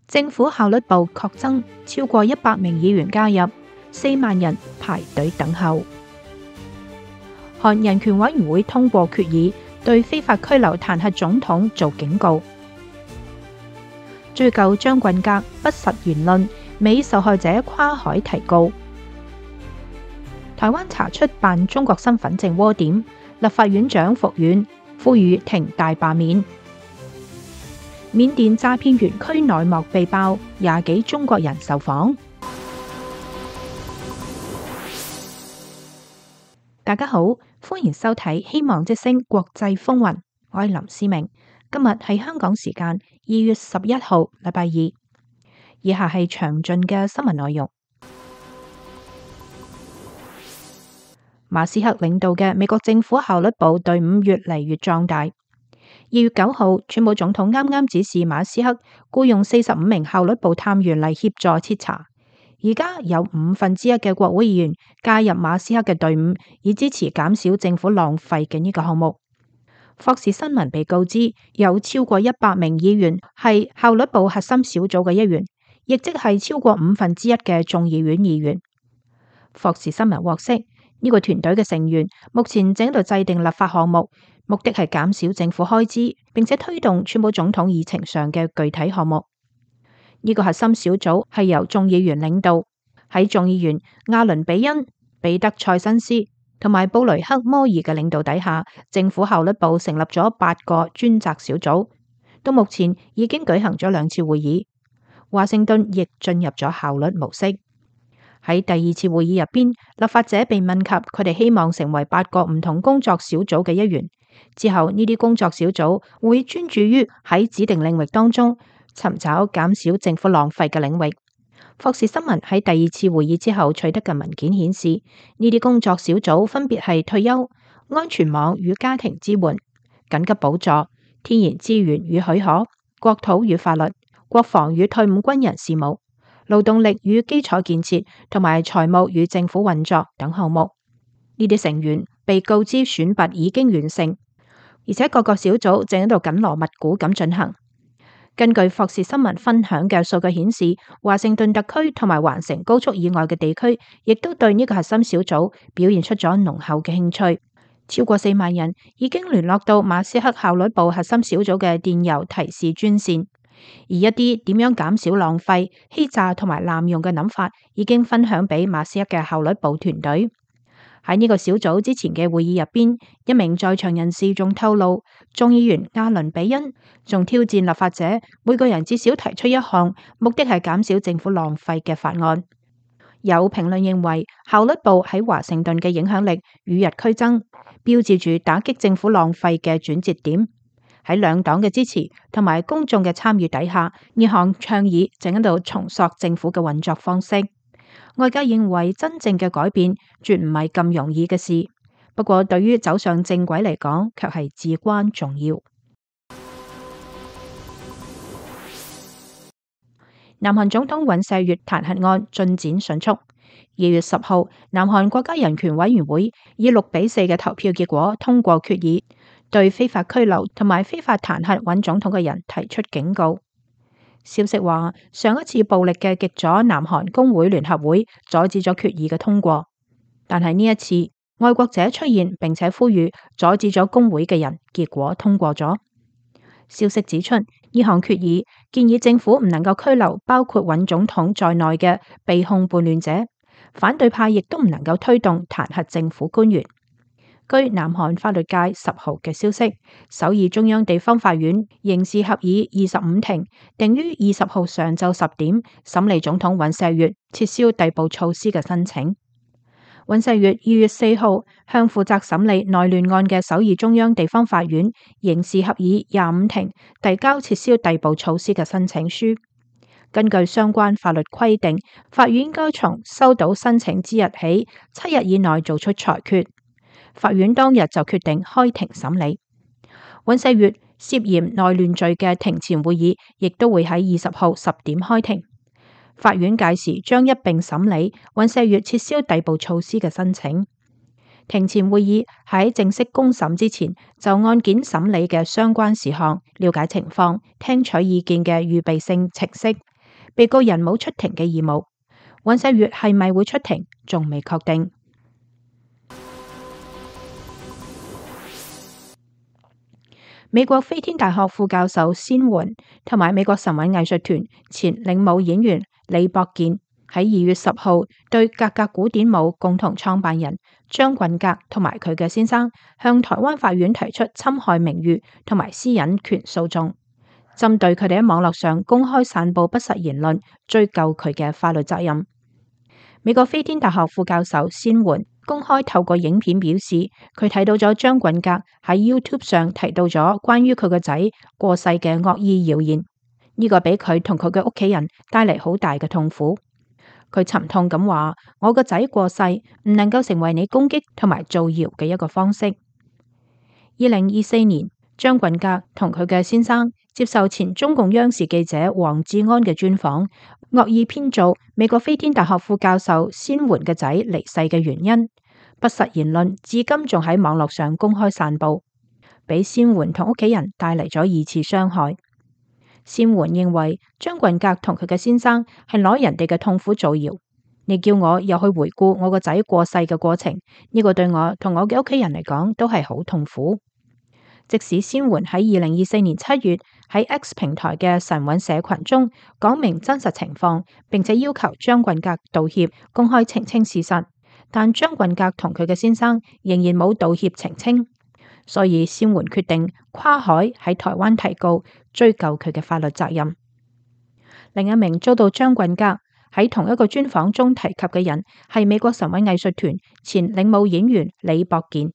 政府效率部確增超過100名議員加入，4萬人排隊等候。韓人權委員會通過決議，對非法拘留彈劾總統做警告。追究張俊革不實言論，美受害者跨海提告。台灣查出辦中國身份證窩點，立法院長復院，呼籲停大罷免。緬甸詐騙園區內幕被爆，20幾中國人受訪。大家好，歡迎收睇希望之聲國際風雲，我係林思明。今日係香港時間2月11號，禮拜二。以下係詳盡嘅新聞內容。馬斯克領導嘅美國政府效率部隊伍越嚟越壯大。2月9號，川普總統啱啱指示馬斯克僱用45名效率部探員嚟協助徹查。而家有1/5嘅國會議員加入馬斯克嘅隊伍，以支持減少政府浪費嘅呢個項目。霍士新聞被告知有超過100名議員係效率部核心小組嘅一員，亦即係超過1/5嘅眾議院議員。霍士新聞獲悉，呢個團隊嘅成員目前正喺度制定立法項目，目的係減少政府開支，並且推動川普總統議程上嘅具體項目。呢個核心小組係由眾議員領導，喺眾議員亞倫比恩、彼得塞辛斯同埋布雷克摩爾嘅領導底下，政府效率部成立咗8個專責小組，到目前已經舉行咗2次會議。華盛頓亦進入咗效率模式。喺第2次會議入邊，立法者被問及佢哋希望成為8個唔同工作小組嘅一員。之後呢啲工作小組會專注於喺指定領域當中尋找減少政府浪費嘅領域。霍士新聞喺第2次會議之後取得嘅文件顯示，呢啲工作小組分別係退休、安全網與家庭支援、緊急補助、天然資源與許可、國土與法律、國防與退伍軍人事務、勞動力與基礎建設同埋財務與政府運作等項目。呢啲成員被告知選拔已經完成，而且各個小組正喺度緊鑼密鼓咁進行。根據霍士新聞分享嘅數據顯示，華盛頓特區同埋環城高速以外嘅地區，亦都對呢個核心小組表現出咗濃厚嘅興趣。超過4萬人已經聯絡到馬斯克效率部核心小組嘅電郵提示專線，而一啲點樣減少浪費、欺詐同埋濫用嘅諗法，已經分享俾馬斯克嘅效率部團隊。喺呢個小組之前嘅會議入邊，一名在場人士仲透露，眾議員亞倫比恩仲挑戰立法者每個人至少提出一項目的係減少政府浪費嘅法案。有評論認為，效率部喺華盛頓嘅影響力與日俱增，標誌住打擊政府浪費嘅轉折點。喺兩黨嘅支持同埋公眾嘅參與底下，呢項倡議正喺度重塑政府嘅運作方式。外界認為真正嘅改變絕唔係咁容易嘅事，不過對於走上正軌嚟講，卻係至關重要。南韓總統尹錫悅彈劾案進展迅速。2月10號，南韓國家人權委員會以6-4嘅投票結果通過決議，對非法拘留同埋非法彈劾尹總統嘅人提出警告。消息話，上一次暴力嘅極左南韓工會聯合會阻止咗決議嘅通過，但係呢一次愛國者出現並且呼籲阻止咗工會嘅人，結果通過咗。消息指出，呢項決議建議政府唔能夠拘留包括尹總統在內嘅被控叛亂者，反對派亦都唔能夠推動彈劾政府官員。據南韓法律界10號嘅消息，首爾中央地方法院刑事合議25庭定於20號上晝10點審理總統尹錫悅撤銷逮捕措施嘅申請。尹錫悅2月4號向負責審理內亂案嘅首爾中央地方法院刑事合議25庭遞交撤銷逮捕措施嘅申請書。根據相關法律規定，法院應該從收到申請之日起7日以內做出裁決。法院當日就決定開庭審理尹錫悅涉嫌內亂罪嘅庭前會議，亦都會喺20號10點開庭。法院屆時將一併審理尹錫悅撤銷逮捕措施嘅申請。庭前會議喺正式公審之前，就案件審理嘅相關事項、了解情況、聽取意見嘅預備性程式，被告人冇出庭嘅義務。尹錫悅係咪會出庭，仲未確定。美國飛天大學副教授仙媛同埋美國神韻藝術團前領舞演員李博健喺2月10號對格格古典舞共同創辦人張棍格同埋佢嘅先生向台灣法院提出侵害名譽同埋私隱權訴訟，針對佢哋喺網絡上公開散佈不實言論，追究佢嘅法律責任。美國飛天大學副教授仙媛公開透過影片表示，佢睇到咗張棍格喺 YouTube 上提到咗關於佢個仔過世嘅惡意謠言，呢個俾佢同佢嘅屋企人帶嚟好大嘅痛苦。佢沉痛咁話：我個仔過世唔能夠成為你攻擊同埋造謠嘅一個方式。2024年，張棍格同佢嘅先生接受前中共央視記者黃志安嘅專訪，惡意編造美國飛天大學副教授仙媛嘅仔離世嘅原因，不實言論至今仲喺網絡上公開散佈，俾仙媛同屋企人帶嚟咗2次傷害。仙媛認為張棍格同佢嘅先生係攞人哋嘅痛苦造謠，你叫我又去回顧我個仔過世嘅過程，呢個對我同我嘅屋企人嚟講都係好痛苦。即使仙媛喺2024年7月喺 X 平台嘅神韻社群中講明真實情況，並且要求張棍格道歉、公開澄清事實，但張棍格同佢嘅先生仍然冇道歉澄清，所以仙媛決定跨海喺台灣提告，追究佢嘅法律責任。另一名遭到張棍格喺同一個專訪中提及嘅人係美國神韻藝術團前領舞演員李博健。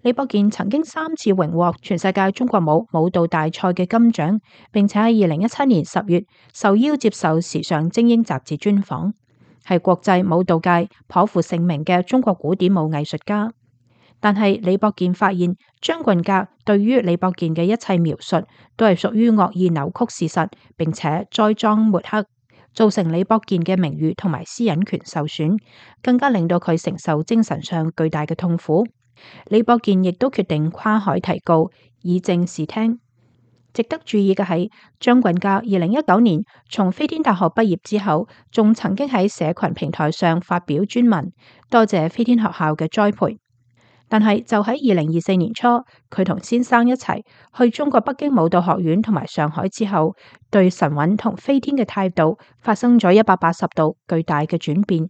李博健曾經3次榮獲全世界中國舞舞蹈大賽嘅金獎，並且喺2017年10月受邀接受時尚精英雜誌專訪，係國際舞蹈界頗負盛名嘅中國古典舞藝術家。但係李博健發現張棍格對於李博健嘅一切描述都係屬於惡意扭曲事實，並且栽贓抹黑，造成李博健嘅名譽同埋私隱權受損，更加令到佢承受精神上巨大嘅痛苦。李博健亦都決定跨海提告，以正視聽。值得注意嘅係，張棍格2019年從飛天大學畢業之後，仲曾經喺社群平台上發表專文，多謝飛天學校嘅栽培。但係就喺2024年初，佢同先生一齊去中國北京舞蹈學院同埋上海之後，對神韻同飛天嘅態度發生咗180度巨大嘅轉變。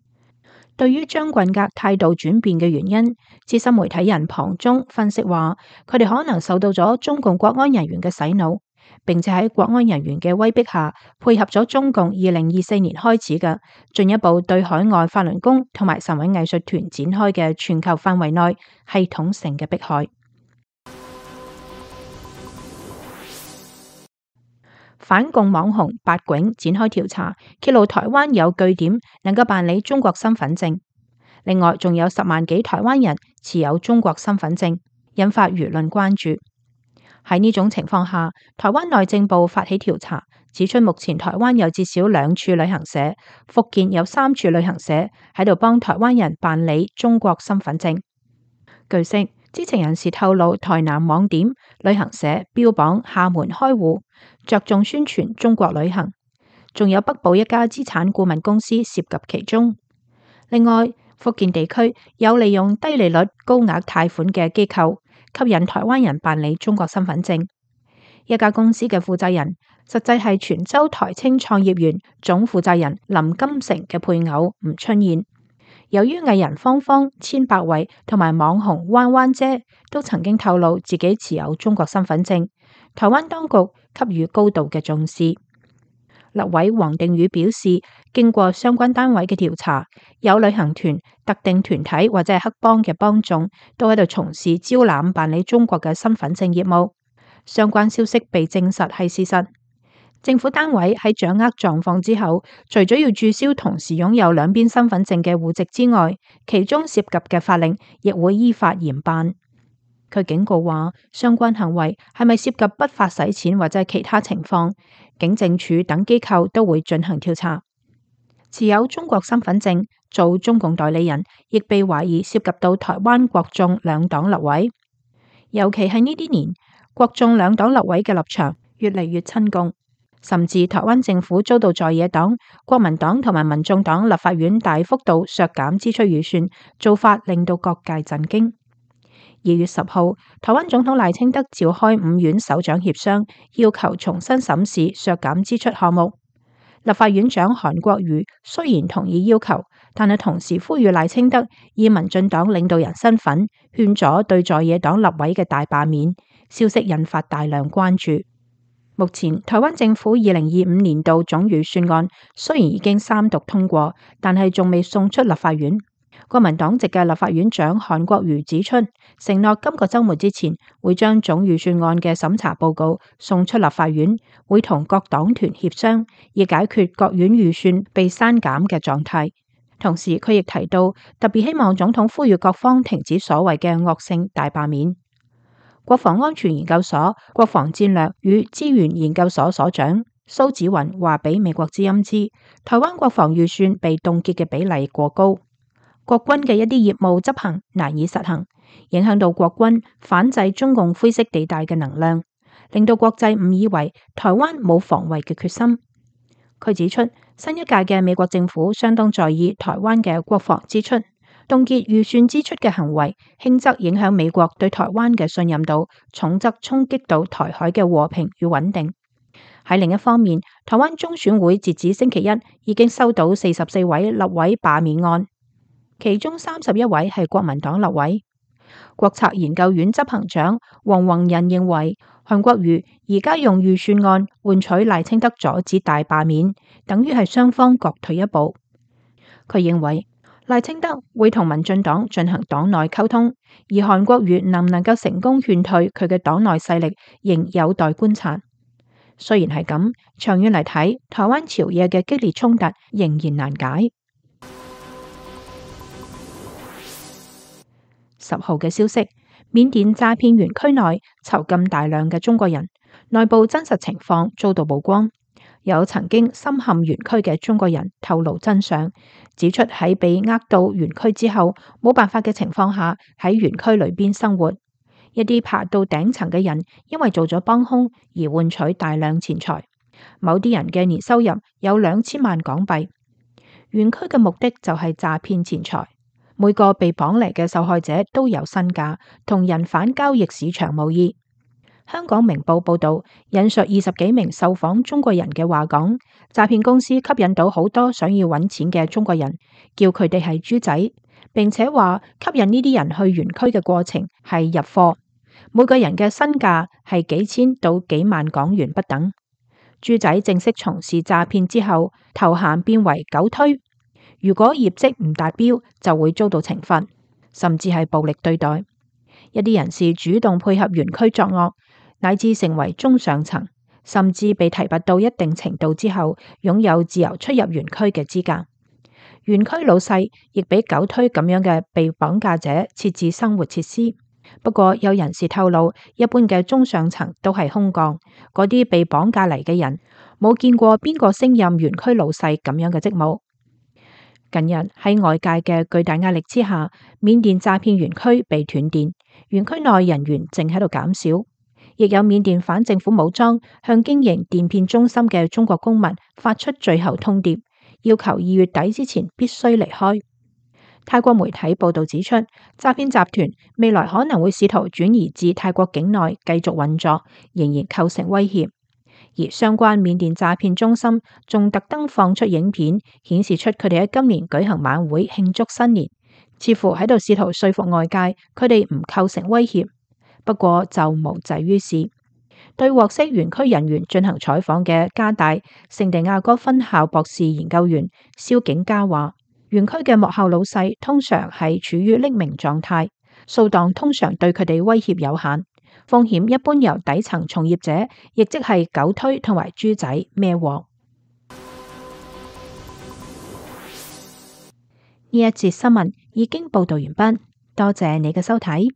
對於張棍格態度轉變嘅原因，資深媒體人龐中分析話，佢哋可能受到咗中共國安人員嘅洗腦，並且喺國安人員嘅威逼下，配合咗中共2024年開始嘅進一步對海外法輪功同埋神韻藝術團展開嘅全球範圍內系統性嘅迫害。反共網紅八囧展開調查，揭露台灣有據點能夠辦理中國身份證，另外仲有10萬幾台灣人持有中國身份證，引發輿論關注。喺呢種情況下，台灣內政部發起調查，指出目前台灣有至少2處旅行社，福建有3處旅行社喺度幫台灣人辦理中國身份證。據悉，知情人士透露，台南網點旅行社標榜廈門開戶，着重宣傳中國旅行，仲有北部一家資產顧問公司涉及其中。另外，福建地區有利用低利率高額貸款嘅機構，吸引台灣人辦理中國身份證。一家公司嘅負責人，實際係泉州台青創業園總負責人林金城嘅配偶吳春燕。由於藝人芳芳、千百惠同埋網紅彎彎姐都曾經透露自己持有中國身份證，台灣當局給予高度嘅重視。立委黃定宇表示，經過相關單位嘅調查，有旅行團、特定團體或者係黑幫嘅幫眾都喺度從事招攬辦理中國嘅身份證業務。相關消息被證實係事實。政府單位喺掌握狀況之後，除咗要註銷同時擁有兩邊身份證嘅戶籍之外，其中涉及嘅法令亦會依法嚴辦。佢警告話，相關行為係咪涉及不法洗錢或者係其他情況，警政署等機構都會進行調查。持有中國身份證做中共代理人，亦被懷疑涉及到台灣國眾兩黨立委，尤其係呢啲年，國眾兩黨立委嘅立場越嚟越親共。甚至台灣政府遭到在野黨、國民黨同埋民眾黨立法院大幅度削減支出預算，做法令到各界震驚。2月10號，台灣總統賴清德召開5院首長協商，要求重新審視削減支出項目。立法院長韓國瑜雖然同意要求，但係同時呼籲賴清德以民進黨領導人身份勸阻對在野黨立委嘅大罷免，消息引發大量關注。目前台灣政府2025年度總預算案雖然已經3讀通過，但係仲未送出立法院。國民黨籍嘅立法院長韓國瑜指出，承諾今個週末之前會將總預算案嘅審查報告送出立法院，會同各黨團協商，以解決各院預算被刪減嘅狀態。同時，佢亦提到，特別希望總統呼籲各方停止所謂嘅惡性大罷免。國防安全研究所國防戰略與資源研究所所長蘇紫雲話俾美國之音知，台灣國防預算被凍結嘅比例過高。國軍嘅一啲業務執行難以實行，影響到國軍反制中共灰色地帶嘅能量，令到國際誤以為台灣冇防衛嘅決心。佢指出，新一屆嘅美國政府相當在意台灣嘅國防支出，凍結預算支出嘅行為，輕則影響美國對台灣嘅信任度，重則衝擊到台海嘅和平與穩定。喺另一方面，台灣中選會截至星期一已經收到44位立委罷免案。其中31位係國民黨立委。國策研究院執行長黃宏仁認為，韓國瑜而家用預算案換取賴清德阻止大罷免，等於係雙方各退一步。佢認為賴清德會同民進黨進行黨內溝通，而韓國瑜能唔能夠成功勸退佢嘅黨內勢力，仍有待觀察。雖然係咁，長遠嚟睇，台灣朝野嘅激烈衝突仍然難解。10號嘅消息，緬甸詐騙園區內囚禁大量嘅中國人，內部真實情況遭到曝光。有曾經深陷園區嘅中國人透露真相，指出喺被呃到園區之後，冇辦法嘅情況下喺園區裏邊生活。一啲爬到頂層嘅人，因為做咗幫兇而換取大量錢財。某啲人嘅年收入有2000萬港幣。園區嘅目的就係詐騙錢財。每個被綁嚟嘅受害者都有身價，同人販交易市場無異。香港明報報道，引述20幾名受訪中國人嘅話講，詐騙公司吸引到好多想要揾錢嘅中國人，叫佢哋係豬仔，並且話吸引呢啲人去園區嘅過程係入貨，每個人嘅身價係幾千到幾萬港元不等。豬仔正式從事詐騙之後，頭銜變為狗推。如果業績唔達標，就會遭到懲罰，甚至係暴力對待。一啲人士主動配合園區作惡，乃至成為中上層，甚至被提拔到一定程度之後，擁有自由出入園區嘅資格。園區老細亦俾狗推咁樣嘅被綁架者設置生活設施。不過有人士透露，一般嘅中上層都係空降，嗰啲被綁架嚟嘅人冇見過邊個升任園區老細咁樣嘅職務。近日喺外界嘅巨大壓力之下，緬甸詐騙園區被斷電，園區內人員正喺度減少，亦有緬甸反政府武裝向經營電騙中心嘅中國公民發出最後通牒，要求2月底之前必須離開。泰國媒體報道指出，詐騙集團未來可能會試圖轉移至泰國境內繼續運作，仍然構成威脅。而相關緬甸詐騙中心仲特登放出影片，顯示出佢哋喺今年舉行晚會慶祝新年，似乎喺度試圖說服外界佢哋唔構成威脅。不過就無濟於事。對獲悉園區人員進行採訪嘅加大聖地亞哥分校博士研究員蕭景嘉話，園區嘅幕後老細通常係處於匿名狀態，掃蕩通常對佢哋威脅有限。風險一般由底層從業者，亦即係狗推同埋豬仔孭鑊。呢一節新聞已經報道完畢，多謝你嘅收睇。